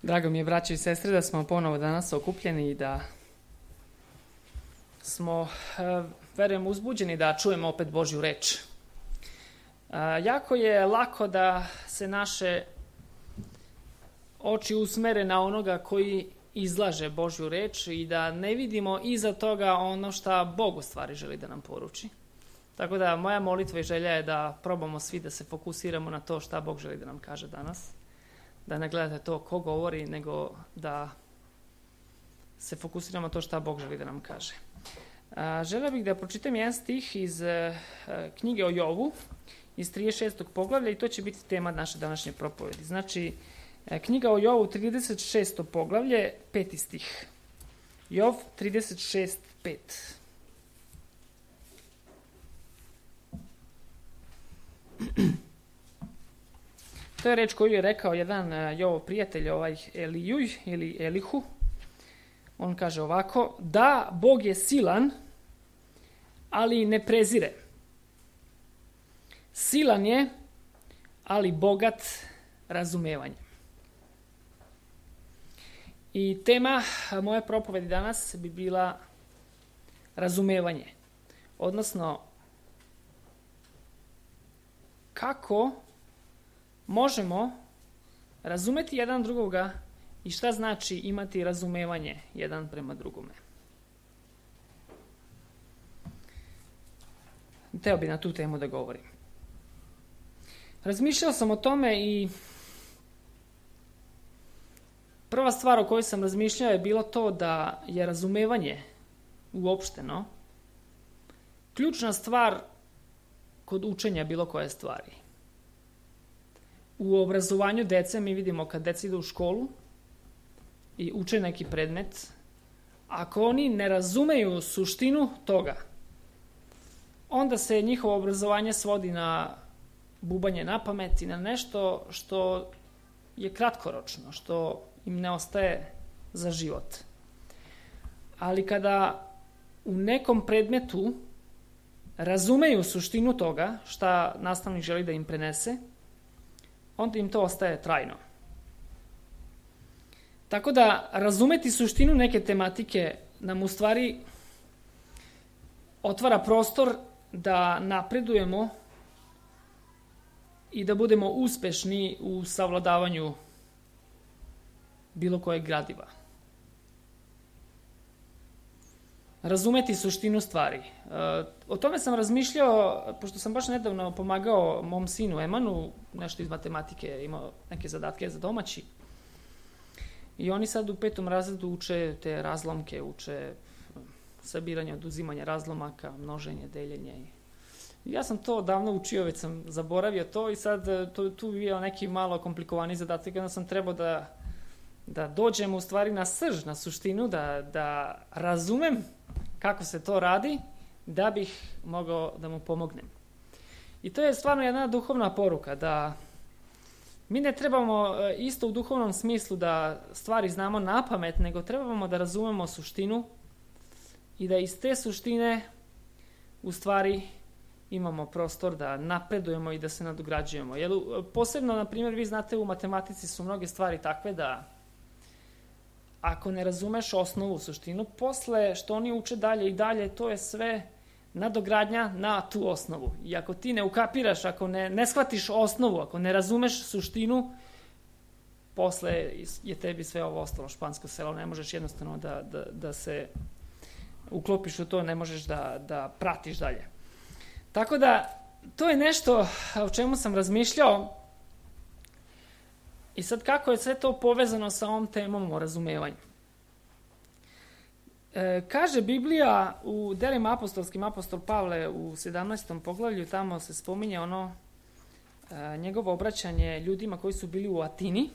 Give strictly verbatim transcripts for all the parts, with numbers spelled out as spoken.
Drago mi je, braće i sestre, da smo ponovo danas okupljeni i da smo, verujem, uzbuđeni da čujemo opet Božju reč. Jako je lako da se naše oči usmere na onoga koji izlaže Božju reč i da ne vidimo iza toga ono šta Bog u stvari želi da nam poruči. Tako da moja molitva i želja je da probamo svi da se fokusiramo na to šta Bog želi da nam kaže danas. Da ne gledate to ko govori, nego da se fokusiramo na to šta Bog želi da nam kaže. A, želeo bih da pročitam jedan stih iz a, knjige o Jovu, iz trideset šestog poglavlja, i to će biti tema naše današnje propovedi. Znači, a, knjiga o Jovu, trideset šesto poglavlje, peti stih. Jov trideset šest pet. To je reč koju je rekao jedan Jovov prijatelj, ovaj Elijuj ili Elihu. On kaže ovako: da, Bog je silan, ali ne prezire. Silan je, ali bogat razumevanjem. I tema moje propovedi danas bi bila razumevanje. Odnosno, kako možemo razumeti jedan drugoga i šta znači imati razumevanje jedan prema drugome. Hteo bi na tu temu da govorim. Razmišljao sam o tome i prva stvar o kojoj sam razmišljao je bilo to da je razumevanje uopšteno ključna stvar kod učenja bilo koje stvari. U obrazovanju dece mi vidimo kad deca idu u školu i uče neki predmet, ako oni ne razumeju suštinu toga, onda se njihovo obrazovanje svodi na bubanje na pamet i na nešto što je kratkoročno, što im ne ostaje za život. Ali kada u nekom predmetu razumeju suštinu toga šta nastavnik želi da im prenese, onda im to ostaje trajno. Tako da razumeti suštinu neke tematike nam u stvari otvara prostor da napredujemo i da budemo uspešni u savladavanju bilo kojeg gradiva. Razumeti suštinu stvari. O tome sam razmišljao, pošto sam baš nedavno pomagao mom sinu Emanu, nešto iz matematike, imao neke zadatke za domaći. I oni sad u petom razredu uče te razlomke, uče sabiranje, oduzimanje razlomaka, množenje, deljenje. I ja sam to davno učio, već sam zaboravio to i sad to, tu je bio neki malo komplikovani zadatak, onda sam trebao da, da dođem u stvari na srž, na suštinu, da, da razumem kako se to radi, da bih mogao da mu pomognem. I to je stvarno jedna duhovna poruka, da mi ne trebamo isto u duhovnom smislu da stvari znamo na pamet, nego trebamo da razumemo suštinu i da iz te suštine u stvari imamo prostor da napredujemo i da se nadograđujemo. Jer posebno, na primjer, vi znate, u matematici su mnoge stvari takve da ako ne razumeš osnovu, suštinu, posle što oni uče dalje i dalje, to je sve nadogradnja na tu osnovu. I ako ti ne ukapiraš, ako ne, ne shvatiš osnovu, ako ne razumeš suštinu, posle je tebi sve ovo ostalo špansko selo. Ne možeš jednostavno da, da, da se uklopiš u to, ne možeš da, da pratiš dalje. Tako da, to je nešto o čemu sam razmišljao. I sad kako je sve to povezano sa ovom temom o razumevanju? E, kaže Biblija u delima apostolskim, apostol Pavle u sedamnaestom poglavlju, tamo se spominje ono e, njegovo obraćanje ljudima koji su bili u Atini.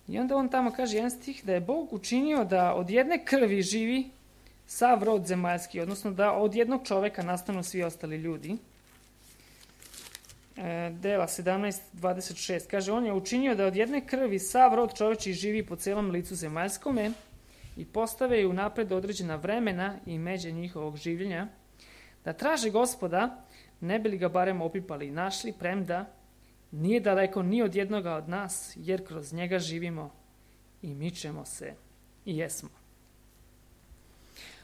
I onda on tamo kaže jedan stih da je Bog učinio da od jedne krvi živi sav rod zemaljski, odnosno da od jednog čoveka nastanu svi ostali ljudi. Dela sedamnaest dvadeset šest kaže: on je učinio da od jedne krvi sav rod čoveči živi po celom licu zemaljskome i postave ju napred određena vremena i međe njihovog življenja, da traže Gospoda, ne bi li ga barem opipali i našli, premda nije daleko ni od jednoga od nas, jer kroz njega živimo i mičemo se i jesmo.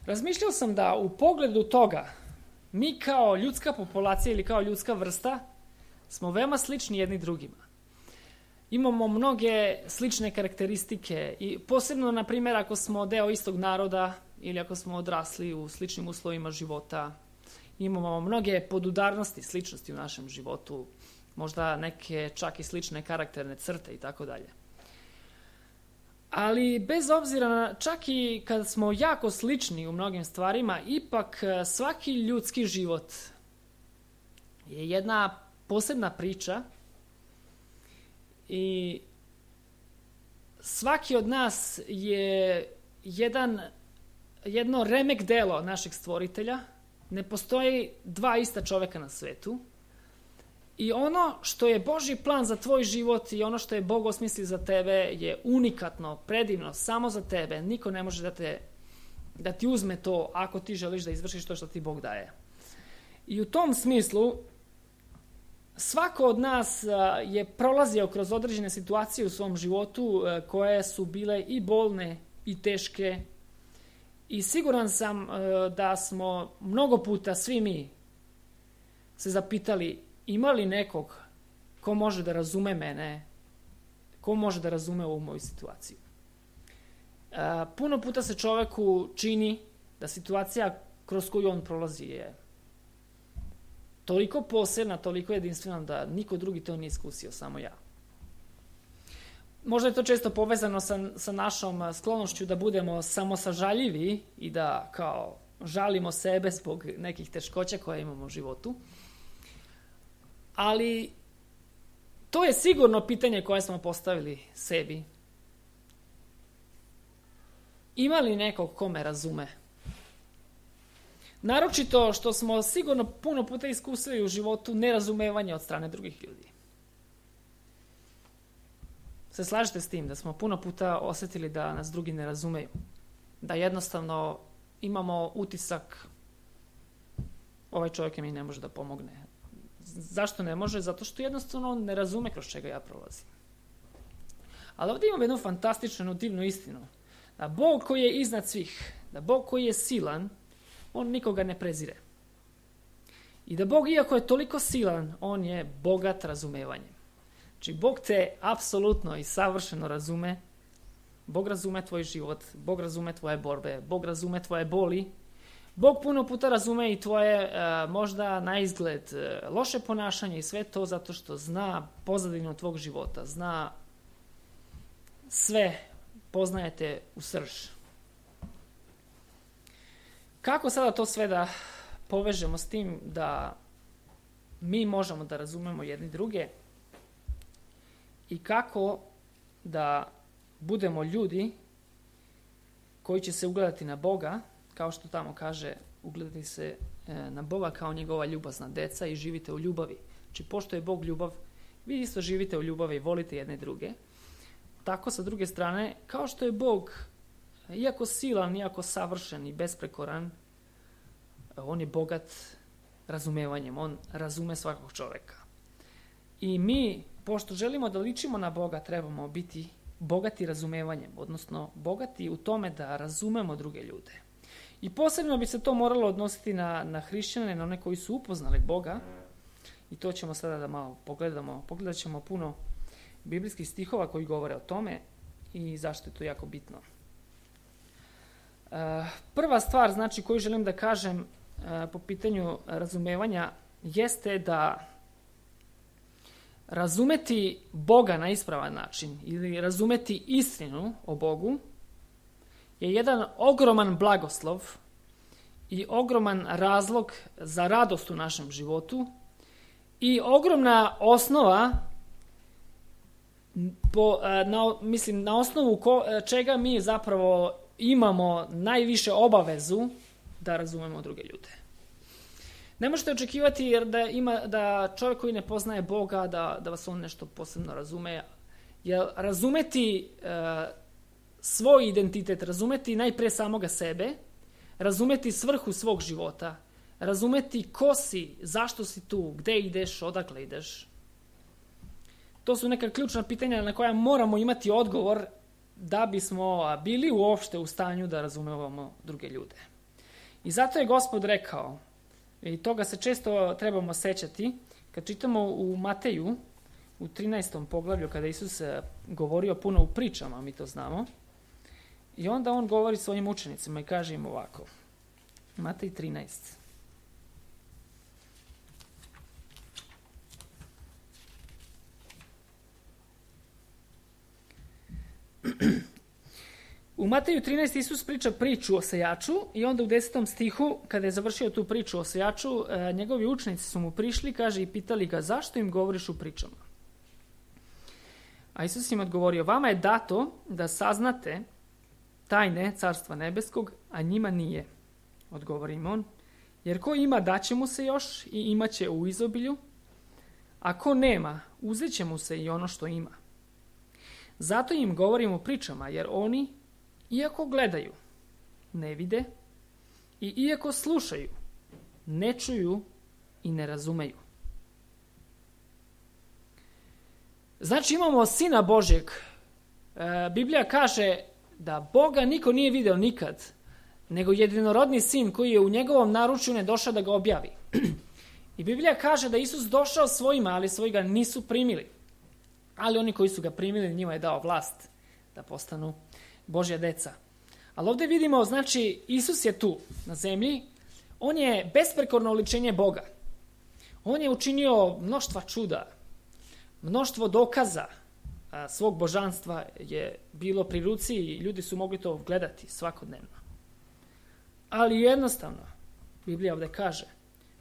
Razmišljao sam da u pogledu toga mi kao ljudska populacija ili kao ljudska vrsta smo veoma slični jedni drugima. Imamo mnoge slične karakteristike i posebno, na primjer, ako smo deo istog naroda ili ako smo odrasli u sličnim uslovima života, imamo mnoge podudarnosti, sličnosti u našem životu, možda neke čak i slične karakterne crte i tako dalje. Ali bez obzira na, čak i kad smo jako slični u mnogim stvarima, ipak svaki ljudski život je jedna posebna priča i svaki od nas je jedan, jedno remek delo našeg stvoritelja. Ne postoji dva ista čoveka na svetu. I ono što je Božji plan za tvoj život i ono što je Bog osmislio za tebe je unikatno, predivno, samo za tebe. Niko ne može da, te, da ti uzme to ako ti želiš da izvršiš to što ti Bog daje. I u tom smislu svako od nas je prolazio kroz određene situacije u svom životu koje su bile i bolne i teške. I siguran sam da smo mnogo puta svi mi se zapitali: ima li nekog ko može da razume mene, ko može da razume ovu moju situaciju? E, puno puta se čoveku čini da situacija kroz koju on prolazi je toliko posebna, toliko jedinstvena da niko drugi to nije iskusio, samo ja. Možda je to često povezano sa, sa našom sklonošću da budemo samosažaljivi i da kao žalimo sebe zbog nekih teškoća koje imamo u životu. Ali to je sigurno pitanje koje smo postavili sebi. Ima li nekog ko me razume? Naročito što smo sigurno puno puta iskusili u životu nerazumevanje od strane drugih ljudi. Se slažete s tim da smo puno puta osjetili da nas drugi ne razumeju? Da jednostavno imamo utisak: ovaj čovjek mi ne može da pomogne. Zašto ne može? Zato što jednostavno on ne razume kroz čega ja prolazim. Ali ovdje imamo jednu fantastičnu, jednu divnu istinu. Da Bog koji je iznad svih, da Bog koji je silan, on nikoga ne prezire. I da Bog, iako je toliko silan, on je bogat razumevanjem. Znači, Bog te apsolutno i savršeno razume. Bog razume tvoj život, Bog razume tvoje borbe, Bog razume tvoje boli. Bog puno puta razume i tvoje uh, možda na izgled uh, loše ponašanje i sve to zato što zna pozadinu tvog života, zna sve, poznajete u srž. Kako sada to sve da povežemo s tim da mi možemo da razumemo jedni druge i kako da budemo ljudi koji će se ugledati na Boga, kao što tamo kaže, ugledati se na Boga kao njegova ljubazna deca i živite u ljubavi. Znači, pošto je Bog ljubav, vi isto živite u ljubavi i volite jedne druge. Tako, sa druge strane, kao što je Bog, iako silan, iako savršen i besprekoran, on je bogat razumevanjem, on razume svakog čoveka. I mi, pošto želimo da ličimo na Boga, trebamo biti bogati razumevanjem, odnosno bogati u tome da razumemo druge ljude. I posebno bi se to moralo odnositi na, na hrišćane, na one koji su upoznali Boga. I to ćemo sada da malo pogledamo. Pogledat ćemo puno biblijskih stihova koji govore o tome i zašto je to jako bitno. E, prva stvar, znači, koju želim da kažem e, po pitanju razumevanja jeste da razumeti Boga na ispravan način ili razumeti istinu o Bogu je jedan ogroman blagoslov i ogroman razlog za radost u našem životu i ogromna osnova po, na, mislim, na osnovu ko, čega mi zapravo imamo najviše obavezu da razumemo druge ljude. Ne možete očekivati jer da, ima, da čovjek koji ne poznaje Boga, da, da vas on nešto posebno razume. Jer razumeti e, svoj identitet, razumeti najprije samoga sebe, razumeti svrhu svog života, razumeti ko si, zašto si tu, gde ideš, odakle ideš, to su neka ključna pitanja na koja moramo imati odgovor da bismo bili uopšte u stanju da razumevamo druge ljude. I zato je Gospod rekao, i toga se često trebamo sećati, kad čitamo u Mateju, u trinaestom poglavlju, kada Isus govorio puno u pričama, mi to znamo, i onda on govori svojim učenicima i kaže im ovako, Matej trinaest. U Mateju trinaest Isus priča priču o sejaču i onda u desetom stihu, kada je završio tu priču o sejaču, njegovi učenici su mu prišli, kaže, i pitali ga, zašto im govoriš u pričama? A Isus im odgovorio, vama je dato da saznate tajne Carstva nebeskog, a njima nije. Odgovori im on, jer ko ima, daće mu se još i imaće u izobilju, a ko nema, uzet će mu se i ono što ima. Zato im govorim u pričama, jer oni, iako gledaju, ne vide, i iako slušaju, ne čuju i ne razumeju. Znači imamo Sina Božjeg. E, Biblija kaže da Boga niko nije video nikad, nego jedinorodni Sin koji je u njegovom naručju ne došao da ga objavi. I Biblija kaže da Isus došao svojima, ali svoji ga nisu primili. Ali oni koji su ga primili, njima je dao vlast da postanu Božja deca. Ali ovdje vidimo, znači, Isus je tu na zemlji, on je besprekorno oličenje Boga. On je učinio mnoštva čuda, mnoštvo dokaza a, svog božanstva je bilo pri ruci i ljudi su mogli to gledati svakodnevno. Ali jednostavno, Biblija ovdje kaže,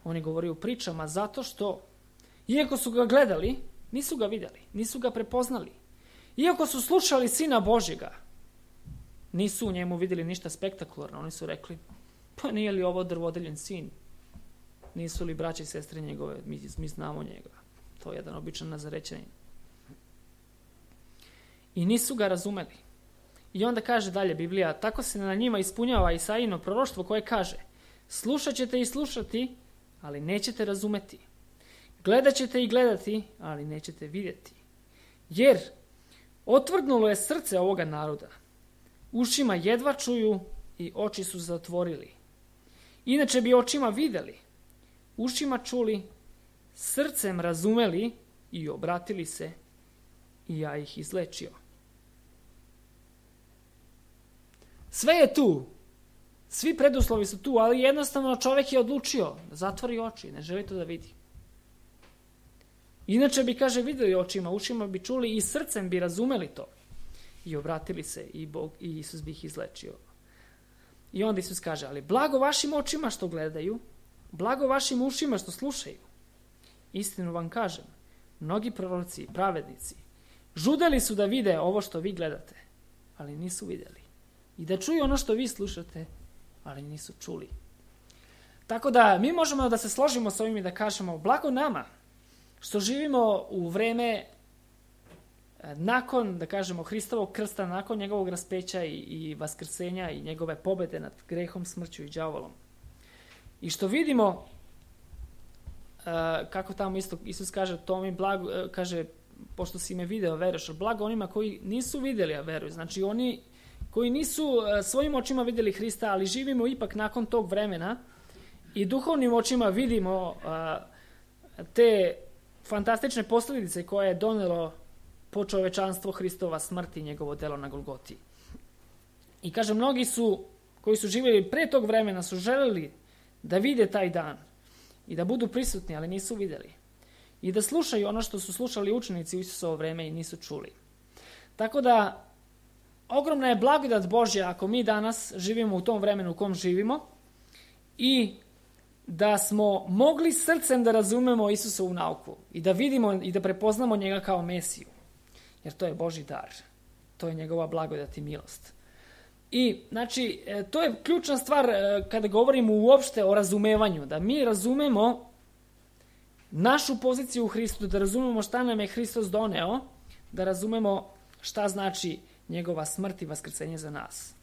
on je govorio u pričama zato što, iako su ga gledali, nisu ga vidjeli, nisu ga prepoznali. Iako su slušali Sina Božjega, nisu u njemu vidjeli ništa spektakularno. Oni su rekli, pa nije li ovo drvodeljen sin? Nisu li braće i sestre njegove? Mi, mi znamo njega. To je jedan običan Nazarećanin. I nisu ga razumeli. I onda kaže dalje Biblija, tako se na njima ispunjava Isaijino proroštvo koje kaže, slušat ćete i slušati, ali nećete razumeti. Gledat ćete i gledati, ali nećete vidjeti. Jer otvrdnulo je srce ovoga naroda. Ušima jedva čuju i oči su zatvorili. Inače bi očima vidjeli, ušima čuli, srcem razumeli i obratili se i ja ih izlečio. Sve je tu. Svi preduslovi su tu, ali jednostavno čovjek je odlučio da zatvori oči, ne želi to da vidi. Inače bi, kaže, vidjeli očima, ušima bi čuli i srcem bi razumeli to. I obratili se i Bog i Isus bi ih izlečio. I onda Isus kaže, ali blago vašim očima što gledaju, blago vašim ušima što slušaju. Istinu vam kažem, mnogi proroci i pravednici žudeli su da vide ovo što vi gledate, ali nisu vidjeli. I da čuju ono što vi slušate, ali nisu čuli. Tako da mi možemo da se složimo s ovim i da kažemo, blago nama što živimo u vreme nakon, da kažemo, Hristovog krsta, nakon njegovog raspeća i, i vaskrsenja i njegove pobede nad grehom, smrću i đavolom. I što vidimo, uh, kako tamo isto Isus kaže, to mi blago, uh, kaže, pošto si me video, veruješ, blago onima koji nisu vidjeli, a veruju. Znači oni koji nisu uh, svojim očima vidjeli Hrista, ali živimo ipak nakon tog vremena i duhovnim očima vidimo uh, te fantastične posljedice koje je donelo po čovečanstvo Hristova smrti i njegovo delo na Golgoti. I kaže, mnogi su, koji su živjeli pre tog vremena, su želeli da vide taj dan i da budu prisutni, ali nisu vidjeli. I da slušaju ono što su slušali učenici u Isusovo vreme i nisu čuli. Tako da, ogromna je blagodat Božja ako mi danas živimo u tom vremenu u kom živimo i da smo mogli srcem da razumemo Isusovu nauku i da vidimo i da prepoznamo njega kao Mesiju. Jer to je Božji dar. To je njegova blagodat i milost. I, znači, to je ključna stvar kada govorimo uopšte o razumevanju. Da mi razumemo našu poziciju u Hristu, da razumemo šta nam je Hristos doneo, da razumemo šta znači njegova smrt i vaskrsenje za nas.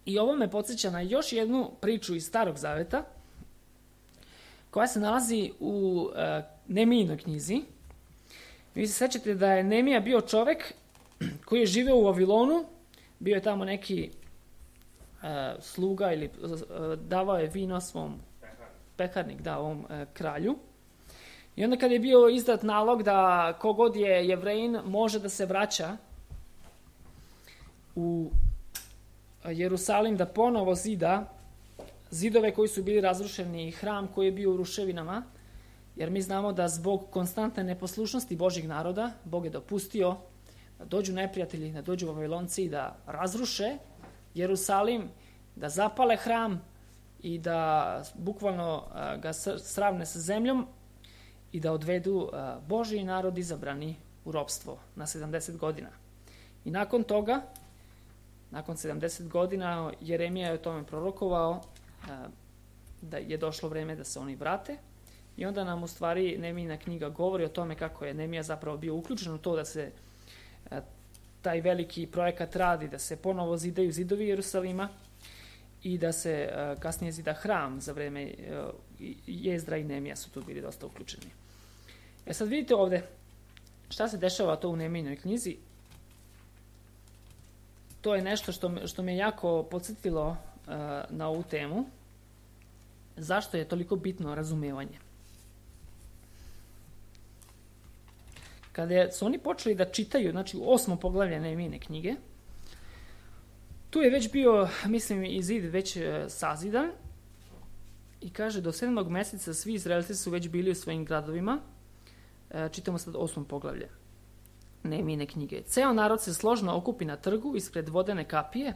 I ovo me podsjeća na još jednu priču iz Starog Zaveta, koja se nalazi u uh, Nemijinoj knjizi. Vi se sećate da je Nehemija bio čovek koji je živeo u Vavilonu, bio je tamo neki uh, sluga ili uh, davao je vino svom pekarnik, da, ovom uh, kralju. I onda kad je bio izdat nalog da kogod je Jevrejin može da se vraća u Jerusalim, da ponovo zida zidove koji su bili razrušeni i hram koji je bio u ruševinama, jer mi znamo da zbog konstantne neposlušnosti Božjeg naroda, Bog je dopustio da dođu neprijatelji, da dođu Vavilonci i da razruše Jerusalim, da zapale hram i da bukvalno ga sravne sa zemljom i da odvedu Božji narod izabrani u ropstvo na sedamdeset godina. I nakon toga, nakon sedamdeset godina, Jeremija je o tome prorokovao da je došlo vreme da se oni vrate. I onda nam u stvari Nehemijina knjiga govori o tome kako je Nehemija zapravo bio uključen u to da se a, taj veliki projekat radi, da se ponovo zidaju zidovi Jerusalima i da se a, kasnije zida hram za vreme a, Jezdra i Nehemija su tu bili dosta uključeni. E sad vidite ovde šta se dešava to u Nehemijinoj knjizi. To je nešto što me, što me jako podsjetilo a, na ovu temu. Zašto je toliko bitno razumevanje? Kada su oni počeli da čitaju, znači osmo poglavlje Nehemijine knjige, tu je već bio, mislim, i zid već sazidan i kaže do sedmog meseca svi Izraelci su već bili u svojim gradovima. Čitamo sad osmo poglavlje Nehemijine knjige. Ceo narod se složno okupi na trgu ispred vodene kapije,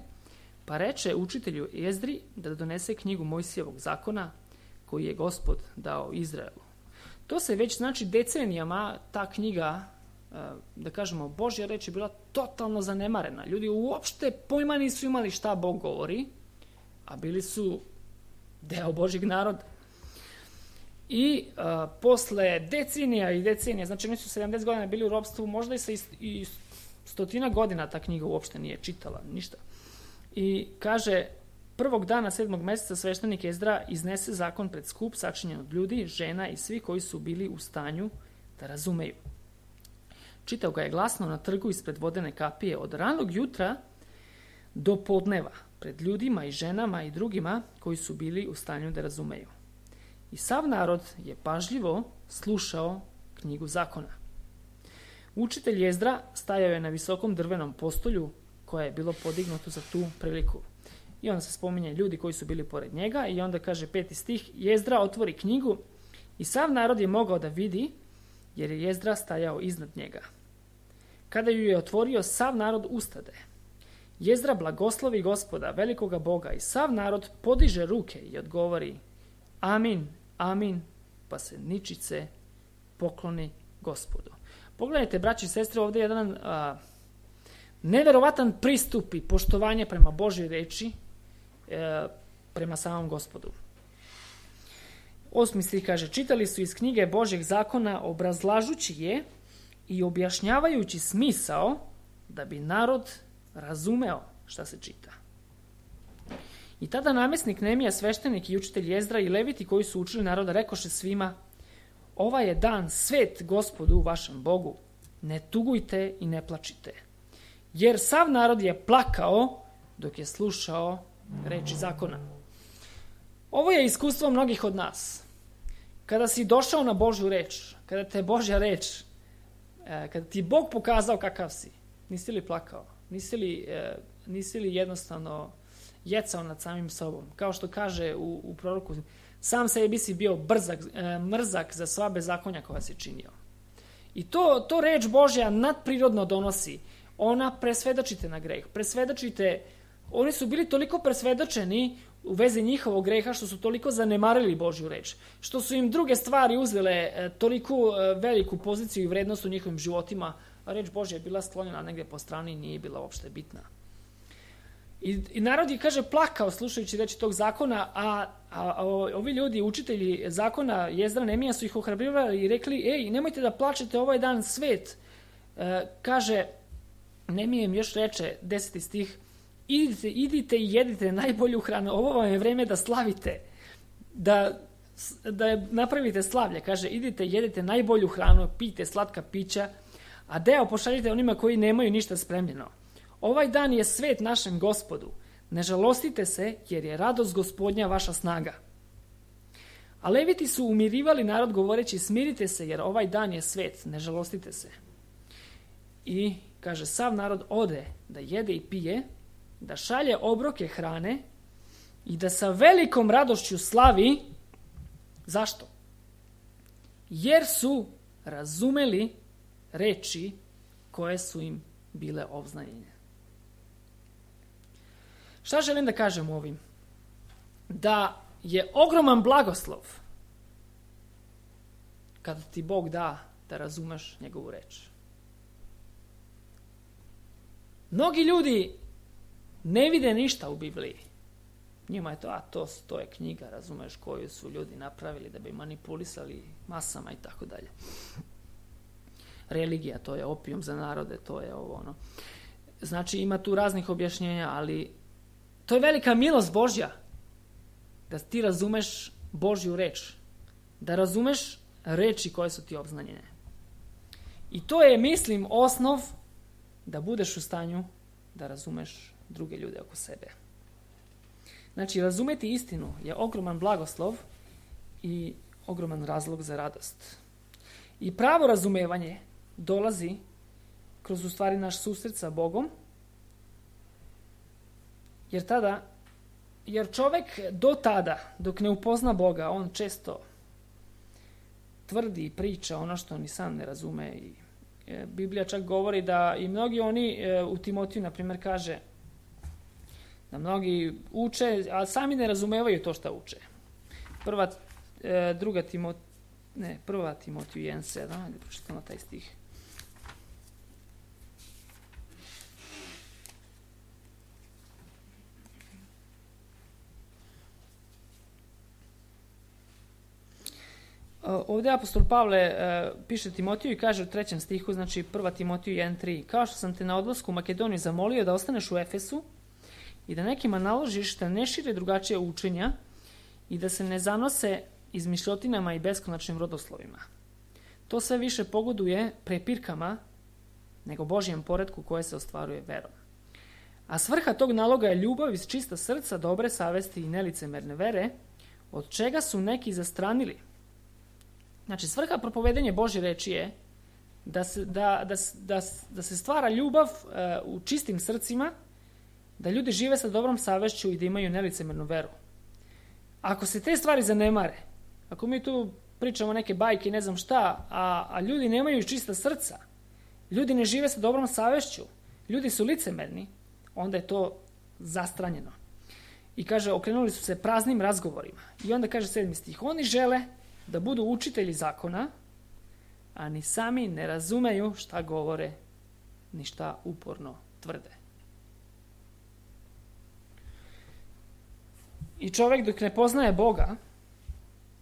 pa reče učitelju Jezdri da donese knjigu Mojsijevog zakona koji je Gospod dao Izraelu. To se već, znači, decenijama ta knjiga, da kažemo, Božja reč je bila totalno zanemarena. Ljudi uopšte pojma nisu imali šta Bog govori, a bili su deo Božjeg naroda. I a, posle decenija i decenija, znači oni su sedamdeset godina bili u ropstvu, možda i sa i, i stotina godina ta knjiga uopšte nije čitala, ništa. I kaže, prvog dana sedmog meseca sveštenik Ezdra iznese zakon pred skup sačinjen od ljudi, žena i svi koji su bili u stanju da razumeju. Čitao ga je glasno na trgu ispred vodene kapije od ranog jutra do podneva, pred ljudima i ženama i drugima koji su bili u stanju da razumeju. I sav narod je pažljivo slušao knjigu zakona. Učitelj Ezdra stajao je na visokom drvenom postolju koje je bilo podignuto za tu priliku. I onda se spominje ljudi koji su bili pored njega i onda kaže peti stih, Jezdra otvori knjigu i sav narod je mogao da vidi jer je Jezdra stajao iznad njega. Kada ju je otvorio, sav narod ustade. Jezdra blagoslovi Gospoda, velikoga Boga i sav narod podiže ruke i odgovori amin, amin, pa se ničice pokloni Gospodu. Pogledajte, braći i sestre, ovdje je jedan a, neverovatan pristup i poštovanje prema Božjoj reči, e, prema samom Gospodu. Osmi stih kaže, čitali su iz knjige Božjeg zakona obrazlažući je i objašnjavajući smisao da bi narod razumeo šta se čita. I tada namjesnik Nehemija, sveštenik i učitelj Jezdra i leviti koji su učili naroda rekoše svima, ovaj je dan svet Gospodu vašem Bogu, ne tugujte i ne plačite. Jer sav narod je plakao dok je slušao reči zakona. Ovo je iskustvo mnogih od nas. Kada si došao na Božju reč, kada te Božja reč, kada ti Bog pokazao kakav si, nisi li plakao? Nisi li, nisi li jednostavno jecao nad samim sobom? Kao što kaže u, u proroku, sam sebi si bio brzak, mrzak za sva bezakonja koja si činio. I to, to reč Božja nadprirodno donosi. Ona presvedočite na greh. Presvedočite, oni su bili toliko presvedočeni u vezi njihovog greha što su toliko zanemarili Božju reč. Što su im druge stvari uzele e, toliko e, veliku poziciju i vrednost u njihovim životima, a reč Božja je bila sklonjena negdje po strani i nije bila uopšte bitna. I, i narod je, kaže, plakao slušajući reči tog zakona, a, a, a ovi ljudi, učitelji zakona Jezdra, Nehemija su ih ohrabrivali i rekli, ej, nemojte da plačete, ovaj dan svet. E, kaže, Nehemija im još reče, deseti stih, idite, idite i jedite najbolju hranu, ovo vam je vreme da slavite, da, da napravite slavlje, kaže, idite i jedite najbolju hranu, pijte slatka pića a deo pošaljite onima koji nemaju ništa spremljeno. Ovaj dan je svet našem Gospodu. Ne žalostite se, jer je radost Gospodnja vaša snaga. A Leviti su umirivali narod govoreći, smirite se, jer ovaj dan je svet, ne žalostite se. I, kaže, sav narod ode da jede i pije, da šalje obroke hrane i da sa velikom radošću slavi. Zašto? Jer su razumeli reči koje su im bile obznanjene. Šta želim da kažem ovim? Da je ogroman blagoslov kada ti Bog da da razumeš njegovu reč. Mnogi ljudi ne vide ništa u Bibliji. Njima je to, a to, to je knjiga, razumeš, koju su ljudi napravili da bi manipulisali masama i tako dalje. Religija, to je opijum za narode, to je ovo ono. Znači ima tu raznih objašnjenja, ali to je velika milost Božja da ti razumeš Božju reč, da razumeš reči koje su ti obznanjene. I to je, mislim, osnov da budeš u stanju da razumeš druge ljude oko sebe. Znači, razumeti istinu je ogroman blagoslov i ogroman razlog za radost. I pravo razumevanje dolazi kroz u stvari naš susret sa Bogom, jer tada, jer čovjek do tada, dok ne upozna Boga, on često tvrdi i priča ono što ni sam ne razume. I e, Biblija čak govori da i mnogi oni e, u Timotiju, na primjer, kaže da mnogi uče, a sami ne razumevaju to što uče. Prva, e, druga Timot, ne, prva Timotiju jedan sedam, ajde pročitamo taj stih. Ovdje apostol Pavle e, piše Timotiju i kaže u trećem stihu, znači prva Timotiju jedan tri, kao što sam te na odlasku u Makedoniju zamolio da ostaneš u Efesu i da nekima naložiš da ne šire drugačije učenja i da se ne zanose izmišljotinama i beskonačnim rodoslovima. To sve više pogoduje prepirkama nego Božjem poretku koje se ostvaruje verom. A svrha tog naloga je ljubav iz čista srca, dobre savesti i nelicemerne vere, od čega su neki zastranili. Znači, svrha propovedanja Božje reči je da se, da, da, da, da se stvara ljubav uh, u čistim srcima, da ljudi žive sa dobrom savešću i da imaju nelicemernu veru. Ako se te stvari zanemare, ako mi tu pričamo neke bajke i ne znam šta, a, a ljudi nemaju čista srca, ljudi ne žive sa dobrom savešću, ljudi su licemerni, onda je to zastranjeno. I kaže, okrenuli su se praznim razgovorima. I onda kaže sedmi stih, oni žele da budu učitelji zakona, a ni sami ne razumeju šta govore, ni šta uporno tvrde. I čovjek dok ne poznaje Boga,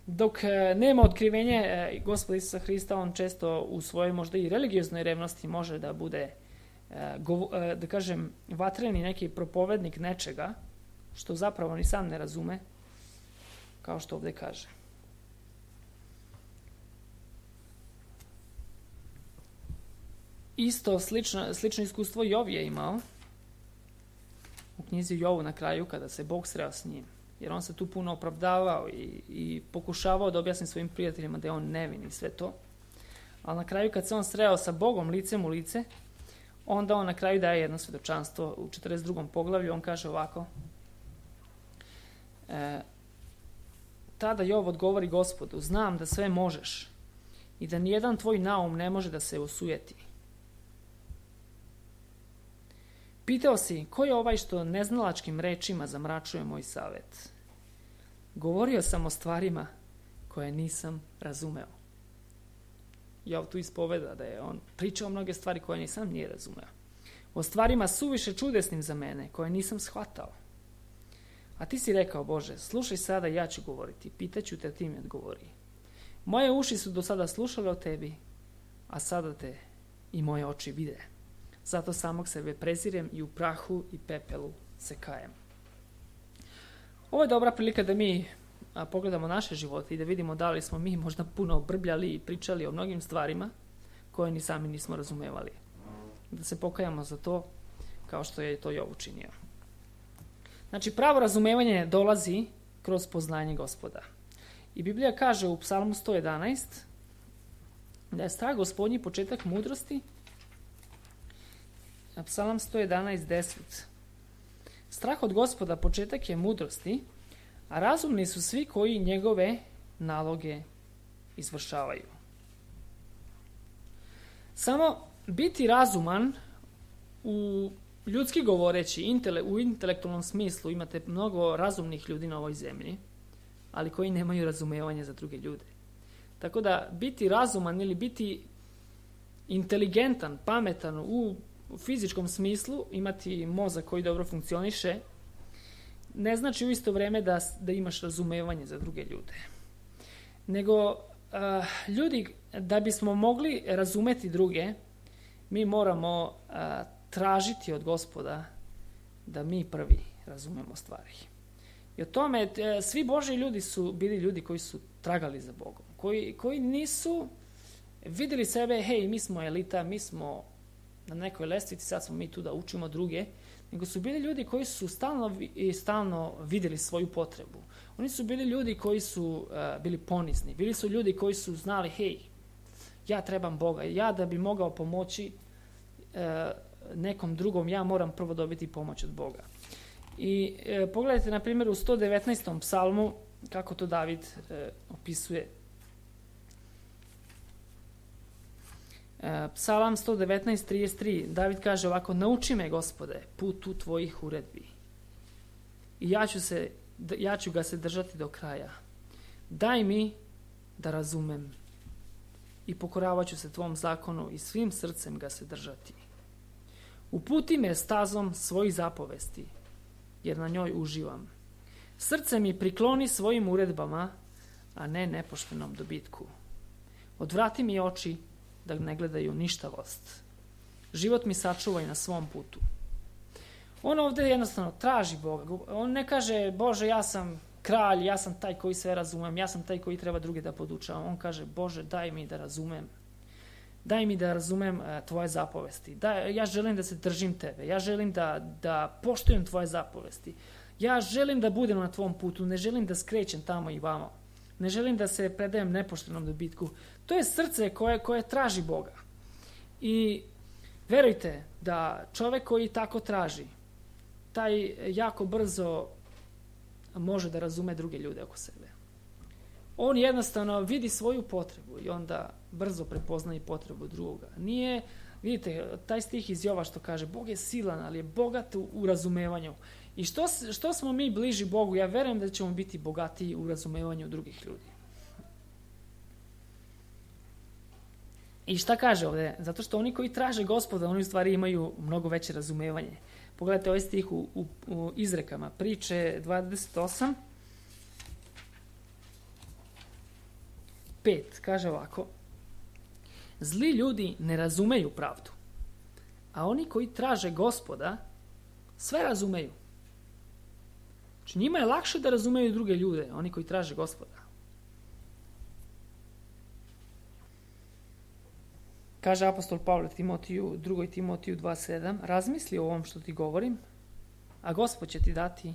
dok nema otkrivenje Gospoda Isusa Hrista, on često u svojoj možda i religioznoj revnosti može da bude, da kažem, vatreni neki propovednik nečega, što zapravo ni sam ne razume, kao što ovdje kaže. Isto slično, slično iskustvo Jov je imao u knjizi Jovu na kraju kada se Bog sreo s njim. Jer on se tu puno opravdavao i, i pokušavao da objasni svojim prijateljima da je on nevin i sve to. Ali na kraju kad se on sreo sa Bogom licem u lice, onda on na kraju daje jedno svjedočanstvo u četrdeset drugom poglavlju. On kaže ovako. E, tada Jov odgovori Gospodu, znam da sve možeš i da nijedan tvoj naum ne može da se osujeti. Pitao si, ko je ovaj što neznalačkim rečima zamračuje moj savjet? Govorio sam o stvarima koje nisam razumeo. Jov tu ispoveda da je on pričao mnoge stvari koje nisam nije razumeo. O stvarima suviše čudesnim za mene, koje nisam shvatao. A ti si rekao, Bože, slušaj sada, ja ću govoriti, pitaću te, ti mi odgovori. Moje uši su do sada slušale o tebi, a sada te i moje oči vide. Zato samog sebe prezirem i u prahu i pepelu se kajem. Ovo je dobra prilika da mi a, pogledamo naše živote i da vidimo da li smo mi možda puno brbljali i pričali o mnogim stvarima koje ni sami nismo razumevali. Da se pokajamo za to kao što je to Job učinio. Znači, pravo razumevanje dolazi kroz poznanje Gospoda. I Biblija kaže u Psalmu sto jedanaest da je strah Gospodnji početak mudrosti. Psalam sto jedanaest deset. Strah od Gospoda početak je mudrosti, a razumni su svi koji njegove naloge izvršavaju. Samo biti razuman u ljudski govoreći, intele, u intelektualnom smislu, imate mnogo razumnih ljudi na ovoj zemlji, ali koji nemaju razumevanja za druge ljude. Tako da biti razuman ili biti inteligentan, pametan u fizičkom smislu, imati mozak koji dobro funkcioniše, ne znači u isto vrijeme da, da imaš razumevanje za druge ljude. Nego uh, ljudi, da bismo mogli razumeti druge, mi moramo uh, tražiti od Gospoda da mi prvi razumemo stvari. I o tome, svi Božji ljudi su bili ljudi koji su tragali za Bogom, koji, koji nisu vidjeli sebe, hej, mi smo elita, mi smo na nekoj lestvici, sad smo mi tu da učimo druge, nego su bili ljudi koji su stalno i stalno vidjeli svoju potrebu. Oni su bili ljudi koji su uh, bili ponizni, bili su ljudi koji su znali, hej, ja trebam Boga, ja da bi mogao pomoći uh, nekom drugom, ja moram prvo dobiti pomoć od Boga. I e, pogledajte na primjer u sto devetnaestom psalmu kako to David e, opisuje. E, Psalam sto devetnaest trideset tri, David kaže ovako: nauči me, Gospode, putu tvojih uredbi i ja ću, se, ja ću ga se držati do kraja. Daj mi da razumem i pokoravat ću se tvom zakonu i svim srcem ga se držati. Uputi me stazom svojih zapovesti, jer na njoj uživam. Srce mi prikloni svojim uredbama, a ne nepoštenom dobitku. Odvrati mi oči da ne gledaju ništavost. Život mi sačuvaj na svom putu. On ovdje jednostavno traži Boga. On ne kaže, Bože, ja sam kralj, ja sam taj koji sve razumem, ja sam taj koji treba druge da podučavam. On kaže, Bože, daj mi da razumem. Daj mi da razumem uh, tvoje zapovesti. Daj, ja želim da se držim tebe. Ja želim da, da poštujem tvoje zapovesti. Ja želim da budem na tvom putu. Ne želim da skrećem tamo i vamo. Ne želim da se predajem nepoštenom dobitku. To je srce koje, koje traži Boga. I verujte da čovjek koji tako traži, taj jako brzo može da razume druge ljude oko sebe. On jednostavno vidi svoju potrebu i onda brzo prepoznaje potrebu drugoga. Nije, vidite, taj stih iz Jova što kaže, Bog je silan, ali je bogat u, u razumevanju. I što, što smo mi bliži Bogu, ja verujem da ćemo biti bogatiji u razumevanju drugih ljudi. I šta kaže ovdje? Zato što oni koji traže Gospoda, oni u stvari imaju mnogo veće razumevanje. Pogledajte ovaj stih u, u, u izrekama, priče dvadeset osam. pet, kaže ovako: zli ljudi ne razumeju pravdu, a oni koji traže Gospoda sve razumeju. Znači njima je lakše da razumeju druge ljude, oni koji traže Gospoda. Kaže apostol Pavle Timotiju, drugoj Timotiju dva sedam, razmisli o ovom što ti govorim, a Gospod će ti dati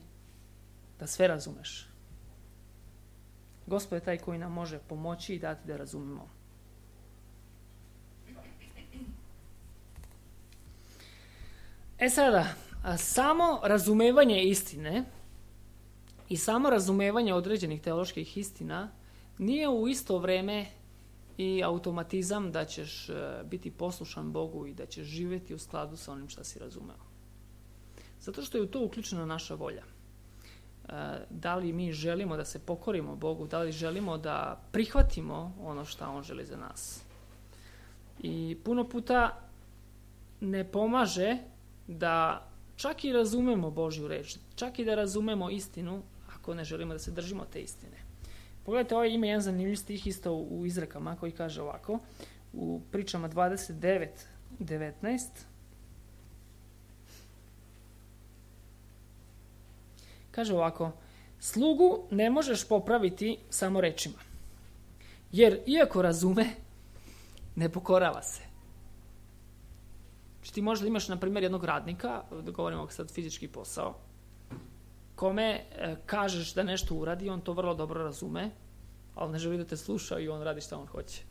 da sve razumeš. Gospod je taj koji nam može pomoći i dati da razumemo. E sada, samo razumevanje istine i samo razumevanje određenih teoloških istina nije u isto vrijeme i automatizam da ćeš biti poslušan Bogu i da ćeš živjeti u skladu sa onim što si razumeo. Zato što je u to uključena naša volja. Da li mi želimo da se pokorimo Bogu, da li želimo da prihvatimo ono što On želi za nas. I puno puta ne pomaže da čak i razumemo Božju reč, čak i da razumemo istinu ako ne želimo da se držimo te istine. Pogledajte, ovaj ima jedan zanimljiv stih isto u izrekama koji kaže ovako, u pričama dvadeset devet devetnaest. Kaže ovako: slugu ne možeš popraviti samo rečima, jer iako razume, ne pokorava se. Znači ti možda imaš, na primjer, jednog radnika, da govorimo sad fizički posao, kome e, kažeš da nešto uradi, on to vrlo dobro razume, ali ne želi da te sluša i on radi šta on hoće.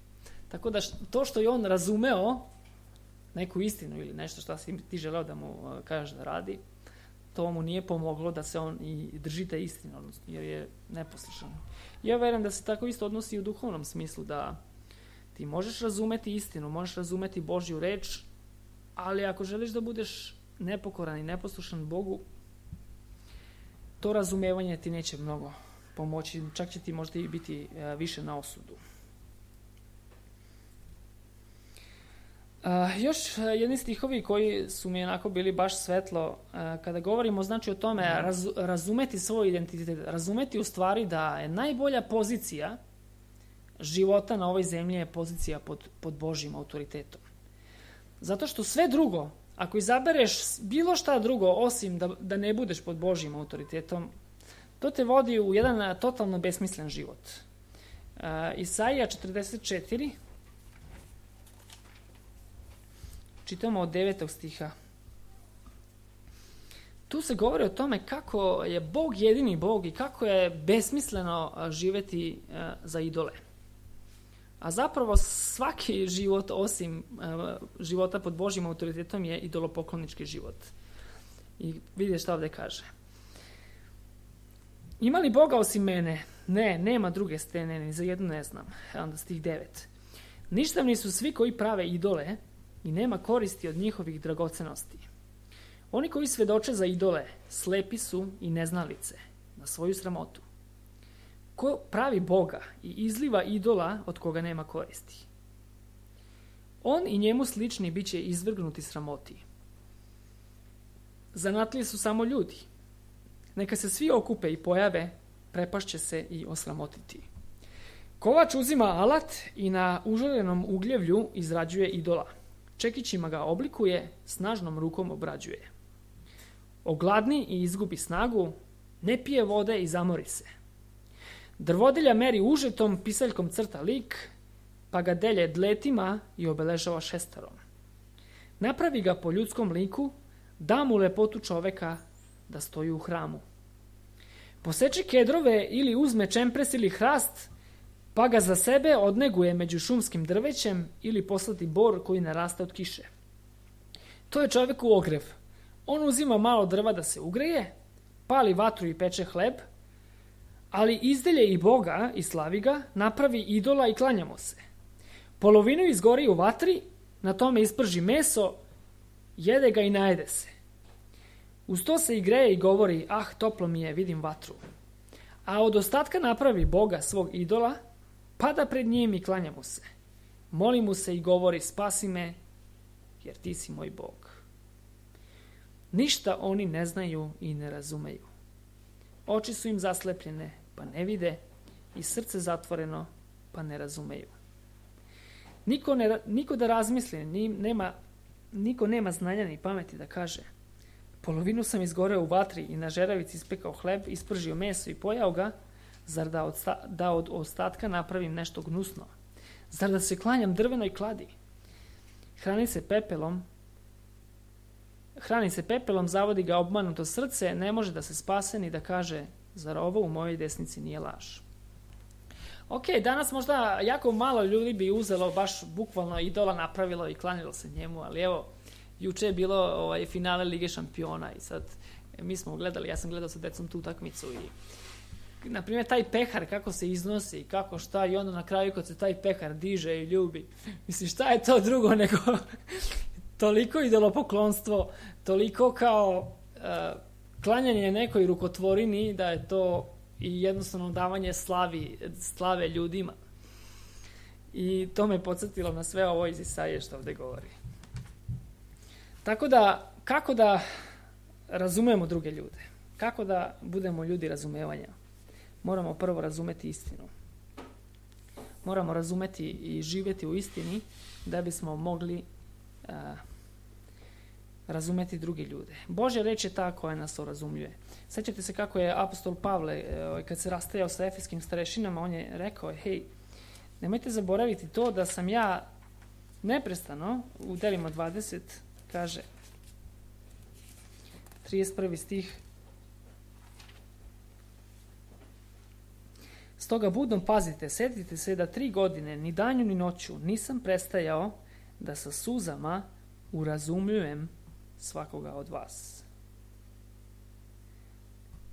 Tako da š, to što je on razumeo neku istinu ili nešto što si ti želeo da mu uh, kažeš da radi, to mu nije pomoglo da se on i drži te istine, odnosno, jer je neposlušan. Ja verujem da se tako isto odnosi u duhovnom smislu, da ti možeš razumeti istinu, možeš razumeti Božju reč, ali ako želiš da budeš nepokoran i neposlušan Bogu, to razumevanje ti neće mnogo pomoći, čak će ti možda i biti uh, više na osudu. Uh, još jedni stihovi koji su mi onako bili baš svetlo, uh, kada govorimo znači o tome raz, razumeti svoj identitet, razumeti u stvari da je najbolja pozicija života na ovoj zemlji je pozicija pod, pod Božjim autoritetom. Zato što sve drugo, ako izabereš bilo šta drugo osim da, da ne budeš pod Božjim autoritetom, to te vodi u jedan totalno besmislen život. Uh, Isaija četrdeset četiri, čitamo od devetog stiha. Tu se govori o tome kako je Bog jedini Bog i kako je besmisleno živeti uh, za idole. A zapravo svaki život osim uh, života pod Božjim autoritetom je idolopoklonički život. I vidite šta ovdje kaže. Ima li Boga osim mene? Ne, nema druge stene, ni za jednu ne znam. Onda stih devet. Ništavni su svi koji prave idole i nema koristi od njihovih dragocenosti. Oni koji svedoče za idole, slepi su i neznalice, na svoju sramotu. Ko pravi Boga i izliva idola od koga nema koristi? On i njemu slični bit će izvrgnuti sramoti. Zanatliji su samo ljudi. Neka se svi okupe i pojave, prepašće se i osramotiti. Kovač uzima alat i na užarenom ugljevlju izrađuje idola. Čekićima ga oblikuje, snažnom rukom obrađuje. Ogladni i izgubi snagu, ne pije vode i zamori se. Drvodilja meri užetom, pisaljkom crta lik, pa ga delje dletima i obeležava šestarom. Napravi ga po ljudskom liku, da mu lepotu čoveka da stoji u hramu. Poseči kedrove ili uzme čempres ili hrast, pa ga za sebe odneguje među šumskim drvećem ili poslati bor koji narasta od kiše. To je čoveku ogrev. On uzima malo drva da se ugreje, pali vatru i peče hleb, ali izdelje i Boga i slavi ga, napravi idola i klanja mu se. Polovinu izgori u vatri, na tome isprži meso, jede ga i najede se. Uz to se i greje i govori, ah, toplo mi je, vidim vatru. A od ostatka napravi Boga svog idola, pada pred njim i klanja mu se. Moli mu se i govori, spasi me, jer ti si moj Bog. Ništa oni ne znaju i ne razumeju. Oči su im zaslepljene, pa ne vide, i srce zatvoreno, pa ne razumeju. Niko, ne, niko da razmisli, ni, nema, niko nema znanja ni pameti da kaže, polovinu sam izgoreo u vatri i na žeravici ispekao hleb, ispržio meso i pojao ga, zar da od, da od ostatka napravim nešto gnusno? Zar da se klanjam drvenoj kladi? Hrani se pepelom, hrani se pepelom, zavodi ga obmanuto srce, ne može da se spase ni da kaže, zar ovo u mojoj desnici nije laž? Ok, danas možda jako malo ljudi bi uzelo baš bukvalno idola, napravilo i klanjalo se njemu, ali evo, juče je bilo ovaj, finale Lige šampiona i sad mi smo gledali, ja sam gledao sa decom tu utakmicu i na primjer taj pehar kako se iznosi, kako šta i onda na kraju kad se taj pehar diže i ljubi, mislim šta je to drugo nego toliko idolopoklonstvo, toliko kao uh, klanjanje nekoj rukotvorini da je to i jednostavno davanje slavi, slave ljudima. I to me podsjetilo na sve ovo iz Isaije što ovdje govori. Tako da, kako da razumemo druge ljude? Kako da budemo ljudi razumevanja? Moramo prvo razumeti istinu. Moramo razumeti i živjeti u istini da bismo mogli uh, razumeti drugi ljude. Božja reč je ta koja nas razumljuje. Sjećate se kako je apostol Pavle, kad se rastajao sa efeskim starešinama, on je rekao, hej, nemojte zaboraviti to da sam ja neprestano, u delima dvadeset, kaže, trideset prvi stih, stoga budom pazite, setite se da tri godine, ni danju ni noću, nisam prestajao da sa suzama urazumljujem svakoga od vas.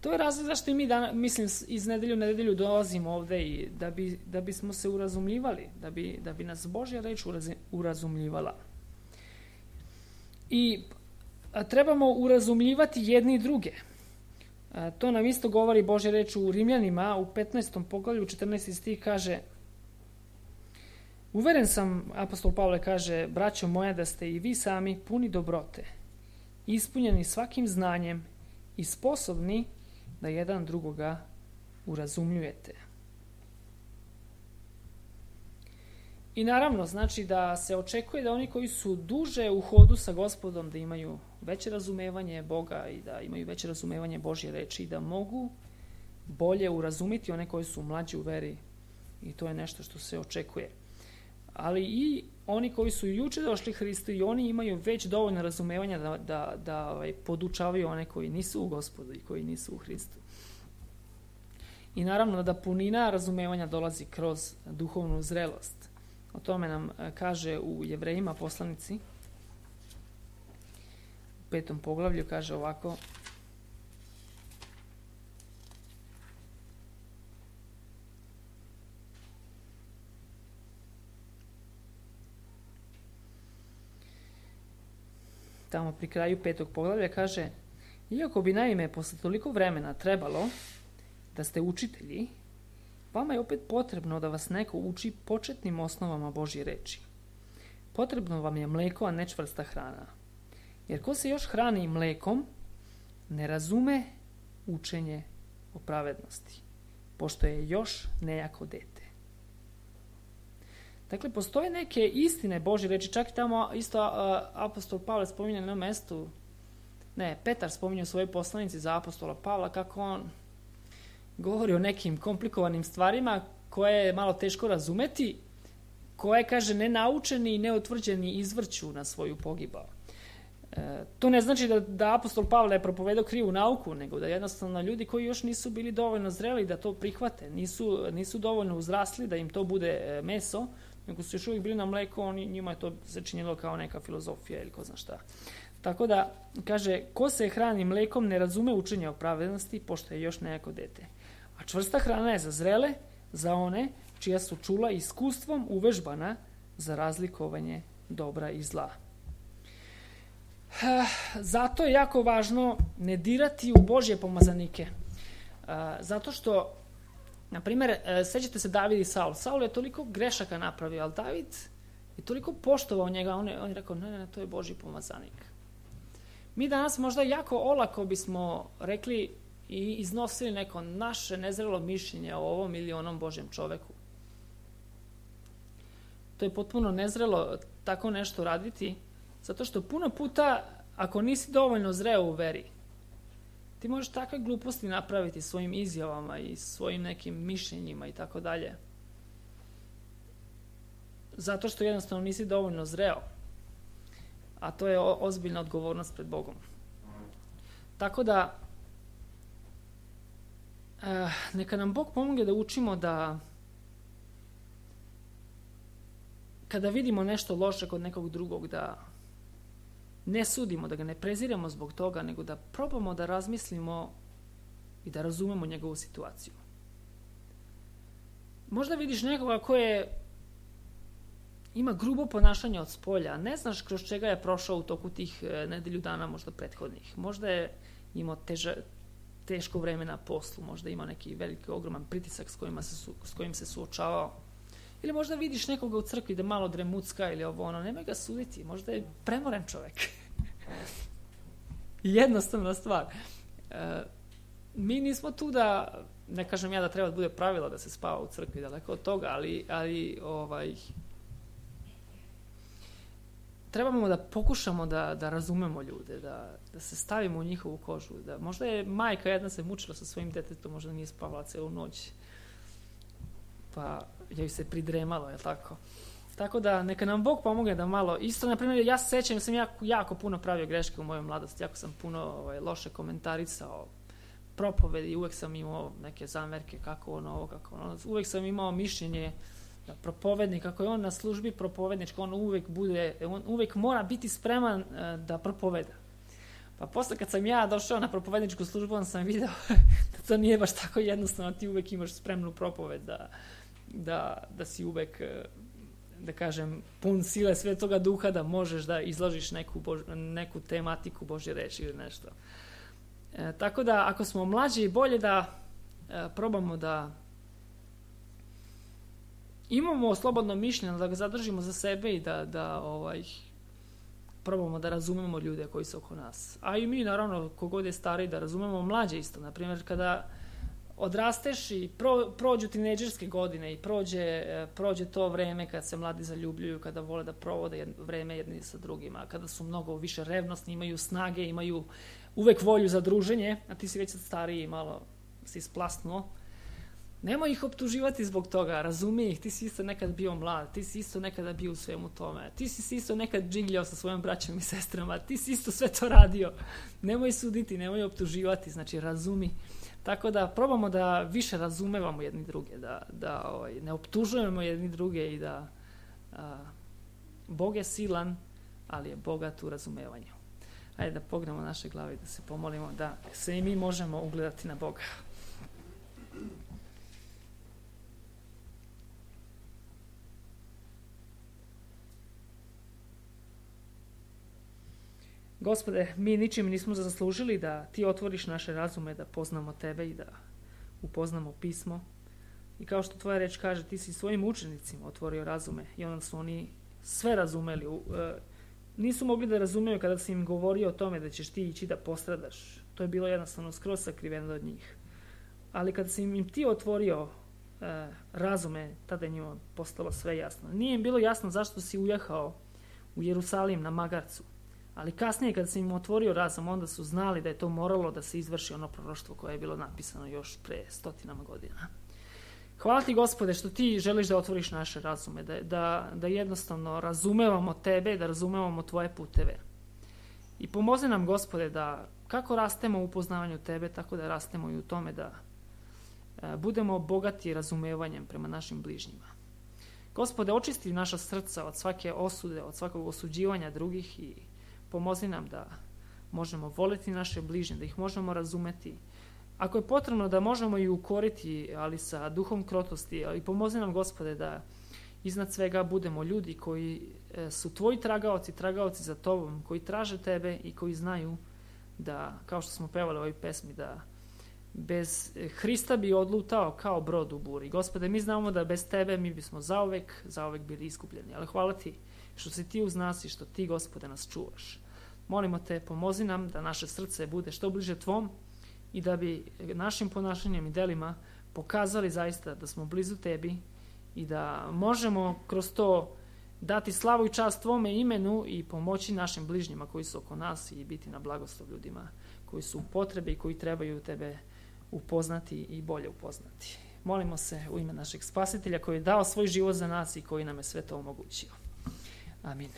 To je razlog zašto i mi danas, mislim, iz nedelju u nedelju dolazimo ovde i da bi, da bismo se urazumljivali, da bi, da bi nas Božja reč urazumljivala. I a, trebamo urazumljivati jedni i druge. A, to nam isto govori Božja reč u Rimljanima, u petnaestom poglavlju, četrnaesti stih kaže, uveren sam, apostol Pavle kaže, braćo moja, da ste i vi sami puni dobrote, ispunjeni svakim znanjem i sposobni da jedan drugoga urazumljujete. I naravno, znači da se očekuje da oni koji su duže u hodu sa Gospodom, da imaju veće razumevanje Boga i da imaju veće razumevanje Božje reči i da mogu bolje urazumiti one koji su mlađi u veri. I to je nešto što se očekuje. Ali i oni koji su juče došli Hristu i oni imaju već dovoljno razumevanja da, da, da ovaj, podučavaju one koji nisu u Gospodu i koji nisu u Hristu. I naravno da punina razumevanja dolazi kroz duhovnu zrelost. O tome nam kaže u Jevrejima poslanici. U petom poglavlju kaže ovako. Tamo pri kraju petog poglavlja kaže, iako bi naime posle toliko vremena trebalo da ste učitelji, vama je opet potrebno da vas neko uči početnim osnovama Božje reči. Potrebno vam je mleko, a ne čvrsta hrana. Jer ko se još hrani mlekom, ne razume učenje o pravednosti, pošto je još nejako dete. Dakle, postoje neke istine Božje reči, čak i tamo isto uh, apostol Pavle spominje na jednom mestu, ne, Petar spominje u svojoj poslanici za apostola Pavla, kako on govori o nekim komplikovanim stvarima koje je malo teško razumeti, koje, kaže, nenaučeni i neutvrđeni izvrću na svoju pogibao. E, to ne znači da, da apostol Pavle je propovedao krivu nauku, nego da jednostavno ljudi koji još nisu bili dovoljno zreli da to prihvate, nisu, nisu dovoljno uzrasli da im to bude meso, nego su još uvijek bili na mleku, oni, njima je to se činilo kao neka filozofija ili ko zna šta. Tako da, kaže, ko se hrani mlekom ne razume učenje o pravednosti, pošto je još nejako dete. A čvrsta hrana je za zrele, za one čija su čula iskustvom uvežbana za razlikovanje dobra i zla. Zato je jako važno ne dirati u Božje pomazanike. Zato što, na primjer, sećate se David i Saul. Saul je toliko grešaka napravio, ali David je toliko poštovao njega, on je, on je rekao, ne, ne, ne, to je Božji pomazanik. Mi danas možda jako olako bismo rekli i iznosili neko naše nezrelo mišljenje o ovom ili onom Božjem čoveku. To je potpuno nezrelo tako nešto raditi, zato što puno puta, ako nisi dovoljno zreo u veri, ti možeš takve gluposti napraviti svojim izjavama i svojim nekim mišljenjima i tako dalje. Zato što jednostavno nisi dovoljno zreo. A to je ozbiljna odgovornost pred Bogom. Tako da, eh, neka nam Bog pomogne da učimo da kada vidimo nešto loše kod nekog drugog, da ne sudimo, da ga ne preziremo zbog toga, nego da probamo da razmislimo i da razumemo njegovu situaciju. Možda vidiš nekoga koje ima grubo ponašanje od spolja, ne znaš kroz čega je prošao u toku tih nedelju dana, možda prethodnih. Možda je imao teža, teško vreme na poslu, možda ima neki veliki, ogroman pritisak s, kojima se su, s kojim se suočavao. Ili možda vidiš nekoga u crkvi da malo dremucka ili ovo ono, nemoj ga suditi, možda je premoren čovek. Jednostavna stvar. E, mi nismo tu da, ne kažem ja da treba da bude pravilo da se spava u crkvi, daleko od toga, ali, ali ovaj, trebamo da pokušamo da, da razumemo ljude, da, da se stavimo u njihovu kožu. Da, možda je majka jedna se mučila sa svojim detetom, možda nije spavala celu noć. Pa joj se pridremalo, je tako? Tako da neka nam Bog pomogne da malo, isto na primjer ja se sećam da sam jako, jako puno pravio greške u mojoj mladosti, jako sam puno ovaj, loše komentarisao propovedi, uvek sam imao neke zamerke kako ono ovo, kako ono, uvek sam imao mišljenje da propovednik, kako je on na službi propovednička, on uvek bude, on uvek mora biti spreman uh, da propoveda. Pa posle kad sam ja došao na propovedničku službu, on sam video da to nije baš tako jednostavno, ti uvek imaš spremnu propoved, da, da, da si uvek, da kažem, pun sile Svetoga Duha, da možeš da izložiš neku, bož, neku tematiku Božje reči ili nešto. E, tako da, ako smo mlađi, bolje da e, probamo da imamo slobodno mišljenje, da ga zadržimo za sebe i da, da ovaj, probamo da razumemo ljude koji su oko nas. A i mi, naravno, kogod je stariji, da razumemo mlađe isto. Naprimjer, kada odrasteš i pro, prođu tinejdžerske godine i prođe, prođe to vreme kad se mladi zaljubljuju, kada vole da provode jedno, vreme jedni sa drugima, kada su mnogo više revnosni, imaju snage, imaju uvek volju za druženje, a ti si već stariji i malo si splasnuo. Nemoj ih optuživati zbog toga, razumi ih, ti si isto nekad bio mlad, ti si isto nekada bio u svemu tome, ti si isto nekad džigljao sa svojom braćom i sestrama, ti si isto sve to radio. Nemoj suditi, nemoj optuživati, znači razumi. Tako da probamo da više razumevamo jedni druge, da, da ovaj, ne optužujemo jedni druge i da a, Bog je silan, ali je bogat u razumevanju. Ajde da pognemo naše glave i da se pomolimo da se i mi možemo ugledati na Boga. Gospode, mi ničim nismo zaslužili da ti otvoriš naše razume, da poznamo tebe i da upoznamo pismo. I kao što tvoja reč kaže, ti si svojim učenicima otvorio razume i onda su oni sve razumeli. E, nisu mogli da razumeju kada si im govorio o tome da ćeš ti ići da postradaš. To je bilo jednostavno skroz sakriveno od njih. Ali kada si im ti otvorio e, razume, tada je njima postalo sve jasno. Nije im bilo jasno zašto si ujahao u Jerusalim na magarcu. Ali kasnije kada sam im otvorio razum, onda su znali da je to moralo da se izvrši ono proroštvo koje je bilo napisano još pre stotinama godina. Hvala ti, Gospode, što ti želiš da otvoriš naše razume, da, da, da jednostavno razumevamo tebe, da razumevamo tvoje puteve. I pomozi nam, Gospode, da kako rastemo u upoznavanju tebe, tako da rastemo i u tome da e, budemo bogati razumevanjem prema našim bližnjima. Gospode, očisti naša srca od svake osude, od svakog osuđivanja drugih i pomozi nam da možemo voliti naše bližnje, da ih možemo razumeti. Ako je potrebno da možemo i ukoriti, ali sa duhom krotosti, ali pomozi nam, Gospode, da iznad svega budemo ljudi koji su tvoji tragaoci, tragaoci za tobom, koji traže tebe i koji znaju da, kao što smo pevali u ovoj pesmi, da bez Hrista bi odlutao kao brod u buri. Gospode, mi znamo da bez tebe mi bismo zauvek, zauvek bili iskupljeni, ali hvala ti što si ti uz nas i što ti, Gospode, nas čuvaš. Molimo te, pomozi nam da naše srce bude što bliže tvom i da bi našim ponašanjem i delima pokazali zaista da smo blizu tebi i da možemo kroz to dati slavu i čast tvome imenu i pomoći našim bližnjima koji su oko nas i biti na blagoslov ljudima koji su u potrebi i koji trebaju tebe upoznati i bolje upoznati. Molimo se u ime našeg Spasitelja koji je dao svoj život za nas i koji nam je sve to omogućio. Amin.